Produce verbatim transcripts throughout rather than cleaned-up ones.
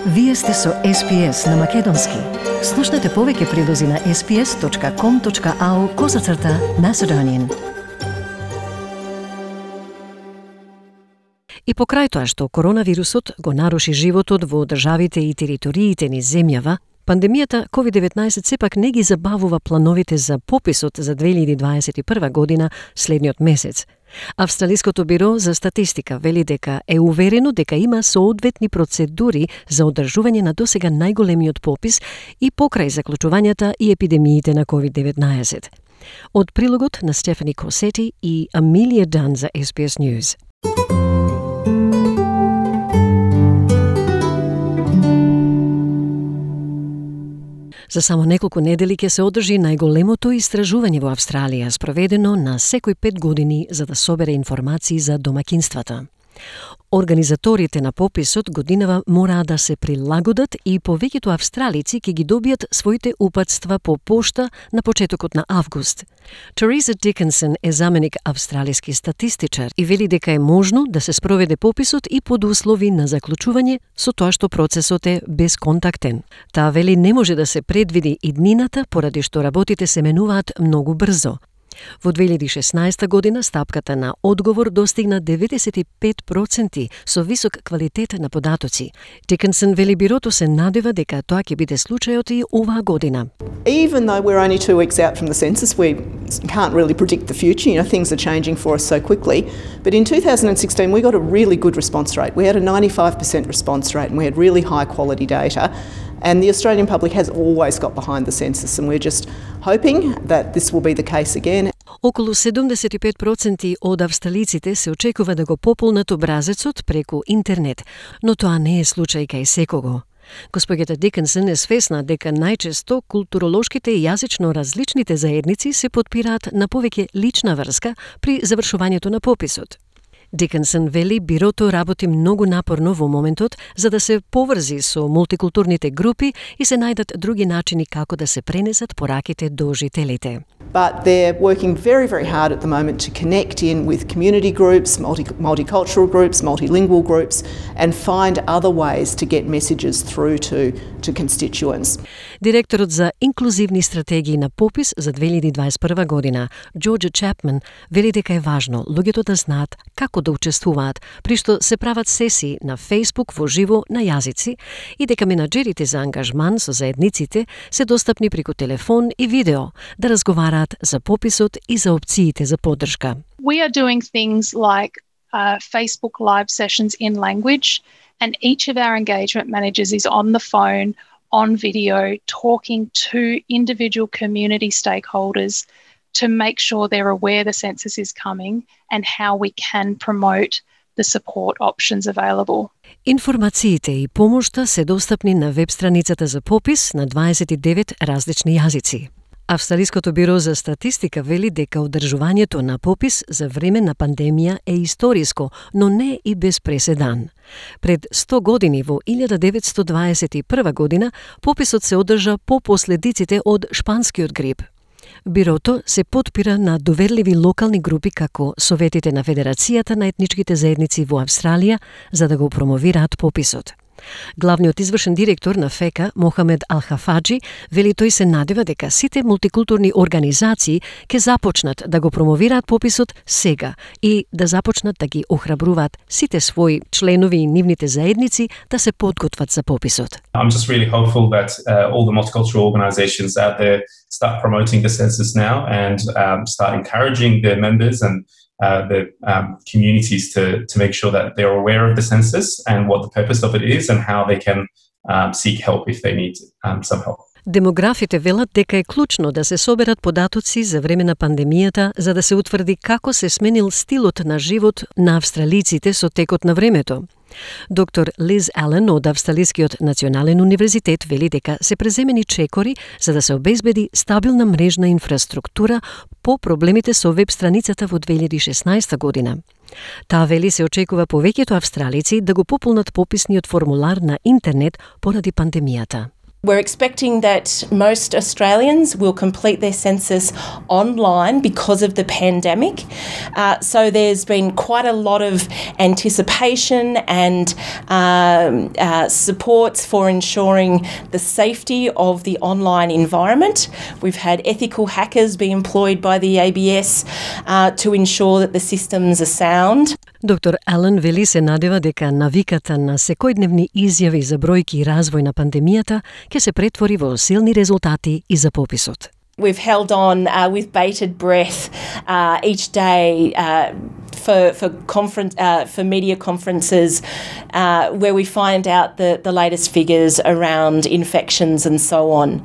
Вие сте со Ес Би Ес на Македонски. Слушнете повеќе прилози на ес би ес точка ком точка ау козацрта Macedonian. И покрај тоа што коронавирусот го наруши животот во државите и териториите ни земјава, пандемијата ковид деветнаесет сепак не ги забавува плановите за пописот за две илјади дваесет и прва година следниот месец. Австралиското биро за статистика вели дека е уверено дека има соодветни процедури за одржување на досега најголемиот попис и покрај заклучувањата и епидемиите на ковид деветнаесет. Од прилогот на Стефани Косети и Амилија Дан за Ес Би Ес News. За само неколку недели ќе се одржи најголемото истражување во Австралија, спроведено на секој пет години за да собере информации за домакинствата. Организаторите на пописот годинава мора да се прилагодат и повеќето австралици ќе ги добијат своите упатства по пошта на почетокот на август. Тереза Дикенсон е заменик австралиски статистичар и вели дека е можно да се спроведе пописот и под услови на заклучување со тоа што процесот е безконтактен. Таа вели не може да се предвиди иднината поради што работите се менуваат многу брзо. Во две илјади и шеснаесета година стапката на одговор достигна деветдесет и пет проценти со висок квалитет на податоци. Дикенсон вели бирото се надева дека тоа ќе биде случајот и оваа година. Even though we're only two weeks out from the census, we can't really predict the future. You know, things are changing for us so quickly. But in two thousand sixteen, we got a really good response rate. We had a ninety-five percent response rate and we had really high quality data. And the Australian public has always got behind the census, and we're just hoping that this will be the case again. Околу седумдесет и пет проценти од австралиците се очекува да го пополнат образецот преку интернет, но тоа не е случај кај секого. Госпоѓата Дикенсон е свесна дека најчесто културолошките и јазично различните заедници се потпираат на повеќе лична врска при завршувањето на пописот. Дикенсон вели бирото работи многу напорно во моментот за да се поврзи со мултикултурните групи и се најдат други начини како да се пренесат пораките до жителите. But they're working very, very hard at the moment to connect in with community groups, multi multicultural groups, multilingual groups, and find other ways to get messages through to, to constituents. Директорот за инклузивни стратегии на попис за две илјади дваесет и прва година, Джорџ Чапман, вели дека е важно луѓето да знаат како да учествуваат, при што се прават сесии на Facebook во живо на јазици и дека менаџерите за ангажман со заедниците се достапни преку телефон и видео да разговараат за пописот и за опциите за поддршка. We are doing things like uh, Facebook live sessions in language, and each of our engagement managers is on the phone, on video, talking to individual community stakeholders to make sure they're aware the census is coming and how we can promote the support options available. Информациите и помошта се достапни на веб страницата за попис на дваесет и девет различни јазици. Австралиското биро за статистика вели дека одржувањето на попис за време на пандемија е историско, но не и без преседан. Пред сто години во илјада деветстотини дваесет и прва година пописот се одржа по последиците од шпанскиот грип. Бирото се потпира на доверливи локални групи како Советите на Федерацијата на етничките заедници во Австралија за да го промовираат пописот. Главниот извршен директор на ФЕКА, Мохамед Ал-Хафаджи, вели тој се надева дека сите мултикултурни организации ќе започнат да го промовираат пописот сега и да започнат да ги охрабруваат сите своји членови и нивните заедници да се подготват за пописот. I'm just really hopeful that uh, all the multicultural organizations out there start promoting the census now and um, start encouraging their members and Uh, the um, communities to, to make sure that they're aware of the census and what the purpose of it is and how they can um, seek help if they need um, some help. Демографите велат дека е клучно да се соберат податоци за време на пандемијата за да се утврди како се сменил стилот на живот на австралиците со текот на времето. Доктор Лиз Ален од Австралискиот национален универзитет вели дека се преземени чекори за да се обезбеди стабилна мрежна инфраструктура по проблемите со веб страницата во две илјади и шеснаесета година. Таа вели се очекува повеќето австралици да го пополнат пописниот формулар на интернет поради пандемијата. We're expecting that most Australians will complete their census online because of the pandemic. Uh, so there's been quite a lot of anticipation and um, uh, supports for ensuring the safety of the online environment. We've had ethical hackers be employed by the A B S uh, to ensure that the systems are sound. Доктор Ален вели се надева дека навиката на секојдневни изјави за бројки и развој на пандемијата ќе се претвори во силни резултати и за пописот. We've held on uh, with bated breath uh, each day uh, for for conference uh, for media conferences uh, where we find out the, the latest figures around infections and so on.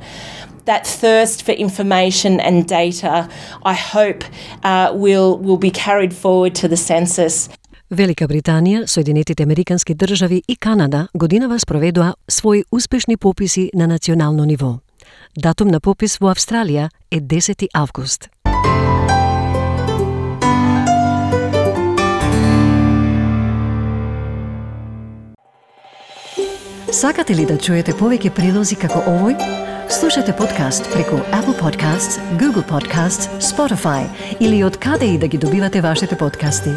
That thirst for information and data, I hope, uh, will will be carried forward to the census. Велика Британија, Соединетите Американски држави и Канада годинава спроведоа своји успешни пописи на национално ниво. Датум на попис во Австралија е десети август. Сакате ли да чуете повеќе прилози како овој? Слушате подкаст преку Apple Podcasts, Google Podcasts, Spotify или од каде и да ги добивате вашите подкасти.